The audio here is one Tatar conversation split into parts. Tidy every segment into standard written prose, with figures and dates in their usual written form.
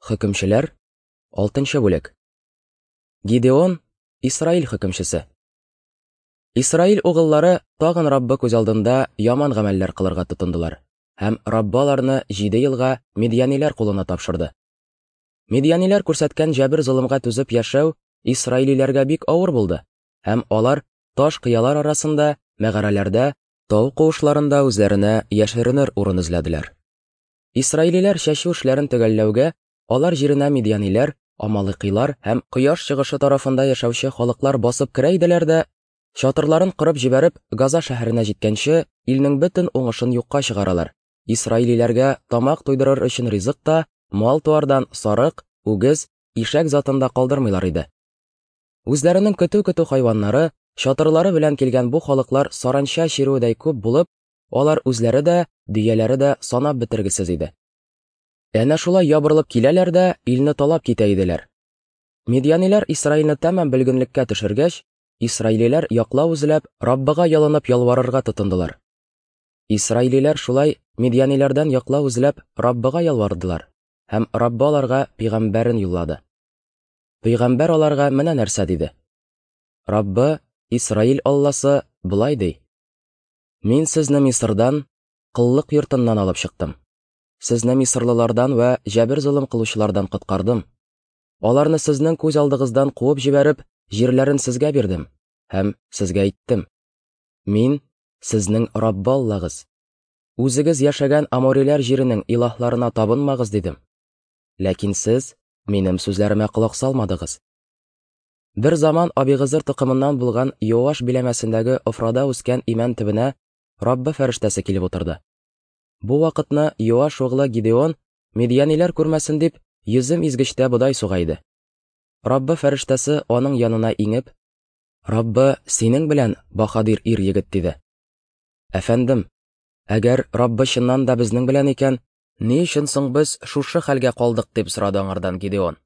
Хөкемчеләр, 6 бүлек. Гидеон, Исраил хөкемчесе. Исраил угыллары тагын Раббы күз алдында яман гамәлләр кылырга тотындылар, һәм Раббы аларны җиде елга медьяниләр кулына тапшырды. Медьяниләр күрсәткән җәбер-золымга түзеп яшәү исраилиләргә бик авыр булды, һәм алар таш кыялар арасында, мәгарәләрдә, тау куышларында үзләренә яшеренер урын эзләделәр. Исраилиләр чәчү эшләрен төгәлләүгә, алар җиренә мидьяниләр, амалыкыйлар һәм кояш чыгышы тарафында яшәүче халыклар басып керә иделәр дә, чатырларын корып җибәреп, Газа шәһәренә җиткәнче, илнең бөтен уңышын юкка чыгаралар. Исраилиләргә тамак туйдырыр өчен ризык та, мал-туардан сарык, үгез, ишәк затын да калдырмыйлар иде. Үзләренең көтү-көтү хайваннары, чатырлары белән килгән бу халыклар саранча чирүедәй күп булып, Алар үзләре дә, дөяләре дә санап бетергесез иде. Әнә шулай ябырылып киләләр дә илне талап китә иделәр. Медьяниләр Исраилне тәмам бөлгенлеккә төшергәч, исраилиләр яклау эзләп, Раббыга ялынып ялварырга тотындылар. Исраилиләр шулай медьяниләрдән яклау эзләп Раббыга ялвардылар, һәм Раббы аларга пигамбәрен юллады. Пигамбәр аларга менә нәрсә диде: Раббы, Исраил Алласы, болай ди: Мин сезне Мисырдан, коллык йортыннан алып чыктым. Сезне мисырлылардан вә җәбер-золым кылучылардан коткардым. Аларны сезнең күз алдыгыздан куып җибәреп, җирләрен сезгә бирдем һәм сезгә әйттем: Мин сезнең Раббы Аллагыз. Үзегез яшәгән амориләр җиренең илаһларына табынмагыз, дидем. Ләкин сез минем сүзләремә колак салмадыгыз. Бер заман Абигызыр токымыннан булган Йоаш биләмәсендәге Офрада үскән имән төбенә Раббы фәрештәсе килеп утырды. Бу вакытны Йоаш углы Гидеон, медьяниләр күрмәсен дип, йөзем изгечтә бодай суга иде. Раббы фәрештәсе аның янына иңеп, Раббы синең белән, баһадир ир-егет, диде. Әфәндем, әгәр Раббы чыннан да безнең белән икән, ни өчен соң без шушы хәлгә калдык, дип сорады аңардан Гидеон.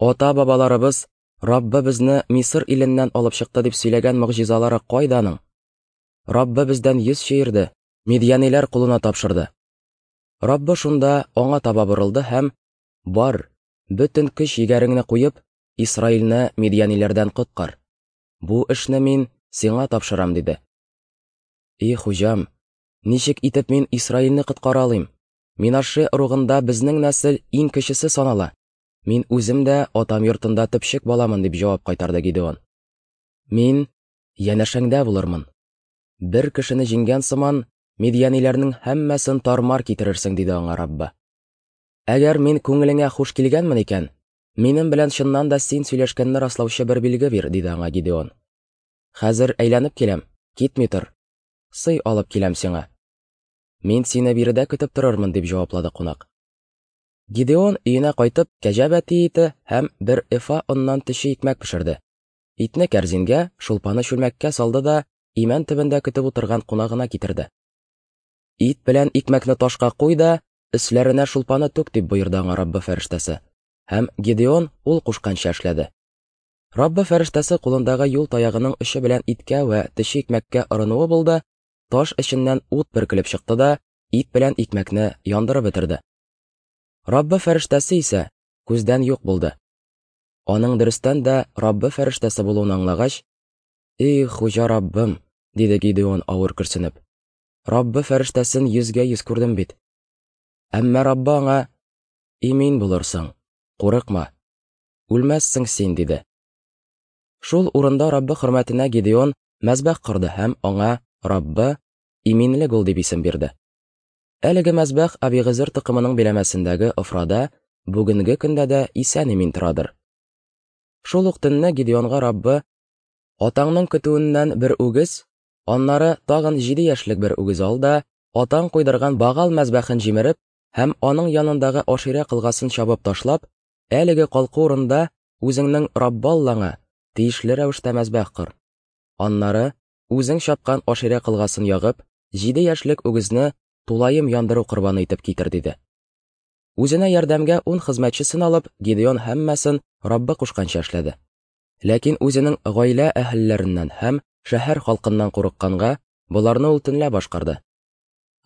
Ата-бабаларыбыз Раббы безне Мисыр иленнән алып чыкты дип сөйләгән могҗизалары кайда аның? Раббы бездән йөз чөерде, мидьяниләр кулына тапшырды. Раббы шунда аңа таба борылды һәм, Бар, бөтен көч-егәреңне куеп, Исраилне мидьяниләрдән коткар. Бу эшне мин сиңа тапшырам, диде. И хуҗам, ничек итеп мин Исраилне коткара алыйм? Минаше ыругында безнең нәсел иң кечесе санала. Мин үзем дә атам йортында төпчек баламын, дип җавап кайтарды Гидеон. Мин янәшәңдә булырмын. Бер кешене җиңгән сыман, мидьяниләрнең һәммәсен тар-мар китерерсең, диде аңа Раббы. Әгәр мин күңелеңә хуш килгәнмен икән, минем белән чыннан да син сөйләшкәнне раслаучы бер билге бир, диде аңа Гидеон. Хәзер әйләнеп киләм, китми тор. Сый алып киләм сиңа. Мин сине биредә көтеп торырмын, дип җаваплады кунак. Гидеон өенә кайтып, кәҗә бәти ите һәм бер эфа оннан төче икмәк пешерде. Итне кәрзингә, шулпаны чүлмәккә салды да имән төбендә көтеп утырган кунагына китерде. Ит белән икмәкне ташка куй да, өсләренә шулпаны түк, дип боерды аңа Раббы фәрештәсе. Һәм Гидеон ул кушканча эшләде. Раббы фәрештәсе кулындагы юл таягының очы белән иткә вә төче икмәккә орынуы булды, таш эченнән ут бөркелеп чыкты да, ит белән икмәкне яндырып бетерде. Раббы фәрештәсе исә күздән юк булды. Аның дөрестән дә Раббы фәрештәсе булуын аңлагач, "Эй, хуҗа Раббым", диде Гидеон авыр көрсенеп. Раббы фәрештәсен йөзгә-йөз күрдем бит. Әмма Раббы аңа, "Имин булырсың, курыкма. Үлмәссең син", диде. Шул урында Раббы хөрмәтенә Гидеон мәзбәх корды һәм аңа Раббы иминлек ул дип исем бирде. Әлеге мәзбәх Абигызыр токымының биләмәсендәге Офрада бүгенге көндә дә исән-имин торадыр. Шул ук төнне Гидеонга Раббы, Атаңның көтүеннән бер үгез, аннары тагын җиде яшьлек бер үгез ал да, атаң куйдырган Багал мәзбәхен җимереп һәм аның янындагы Аширә кылгасын чабып ташлап, әлеге калку урында үзеңнең Раббы Аллаңа тиешле рәвештә мәзбәх кор. Аннары үзең чапкан Аширә кылгасын ягып, җиде яшьлек үгезне тулаем яндыру корбаны итеп китер, диде. Үзенә ярдәмгә ун хезмәтчесен алып, Гидеон һәммәсен Раббы кушканча эшләде. Ләкин үзенең гаилә әһелләреннән һәм шәһәр халкыннан курыкканга, боларны ул төнлә башкарды.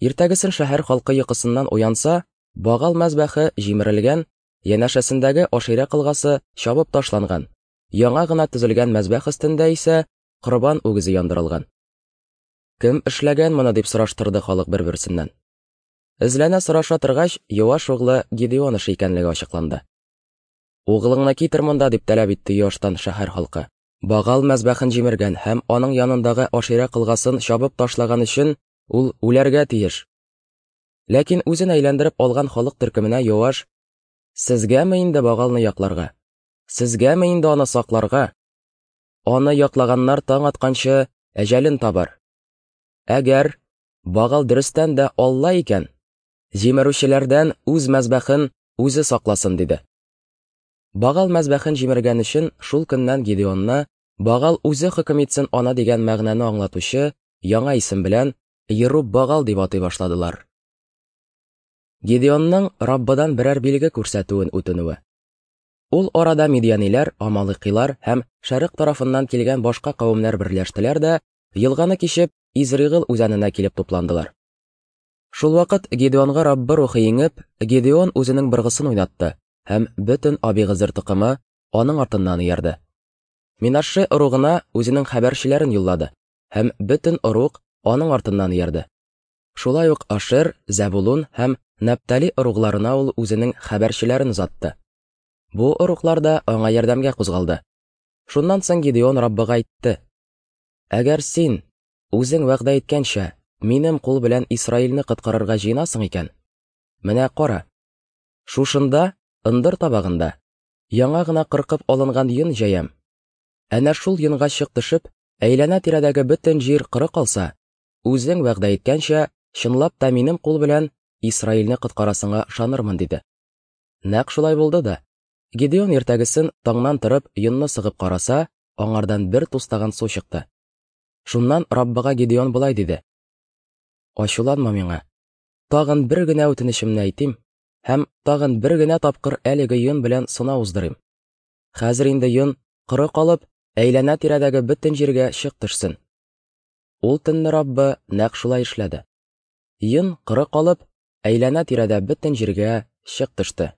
Иртәгесен шәһәр халкы йокысыннан уянса, Багал мәзбәхе җимерелгән, Янәшәсендәге Аширә кылгасы чабып ташланган, яңа гына төзелгән мәзбәх өстендә исә корбан үгезе яндырылган. Кем эшләгән моны дип сораштырды халык бер-берсеннән. Эзләнә сораша торгач, Йоаш углы Гидеон эше икәнлеге ачыкланды. Углыңны китер монда, дип таләп итте Йоаштан шәһәр халкы. Багал мәзбәхен җимергән һәм аның янындагы Аширә кылгасын чабып ташлаган өчен ул үләргә тиеш. Ләкин үзен әйләндереп алган халык төркеменә Йоаш: "Сезгәме инде Багалны якларга? Сезгәме инде аны сакларга? Аны яклаганнар таң атканчы әҗәлен табар. Әгәр Багал дөрестән дә Алла икән, җимерүчеләрдән үз мәзбәхен үзе сакласын", диде. Багал мәзбәхен җимергән өчен шул көннән Гидеонны Багал үзе хөкем итсен ана дигән мәгънәне аңлатучы яңа исем белән Еруб-Багал дип атый башладылар. Гидеонның Раббыдан берәр билге күрсәтүен үтенүе. Ул арада мидианиләр, амалыкилар һәм шәрык тарафыннан килгән башка кавемнәр берләштеләр дә, елганы кичеп, Изригыл үзәненә килеп тупландылар. Шулвакыт Гидеонга Раббы рухы иңеп, Гидеон үзенең быргысын уйнатты, һәм бөтен Абигызыр токымы аның артыннан иярде. Минашше ыругына үзенең хәбәрчеләрен юллады, һәм бөтен ыруг аның артыннан иярде. Шулай ук Ашер, Зәбулун һәм Нәптали ыругларына ул үзенең хәбәрчеләрен озатты. Бу ыруглар да аңа ярдәмгә кузгалды. Шуннан соң Гидеон Раббыга әйтте: Әгәр син, үзең вәгъдә иткәнчә, минем кул белән Исраилне коткарырга җыенасың икән, менә кара, шушында, ындыр табагында, яңа гына кыркып алынган йон җәям. Әнә шул йонга чык төшеп, әйләнә-тирәдәге бөтен җир коры калса, үзең вәгъдә иткәнчә, чынлап та минем кул белән Исраилне коткарасыңа ышанырмын, диде. Нәкъ шулай булды да. Гидеон иртәгесен таңнан торып йонны сыгып караса, аңардан бер тустаган су чыкты. Шуннан Раббыга Гидеон болай диде: Ачуланма миңа. Тагын бер генә үтенечемне әйтим һәм тагын бер генә тапкыр әлеге йон белән сынау уздырыйм. Хәзер инде йон коры калып, әйләнә-тирәдәге бөтен җиргә чык төшсен. Ул төнне Раббы нәкъ шулай эшләде. Йон коры калып, әйләнә-тирәдә бөтен җиргә чык төште.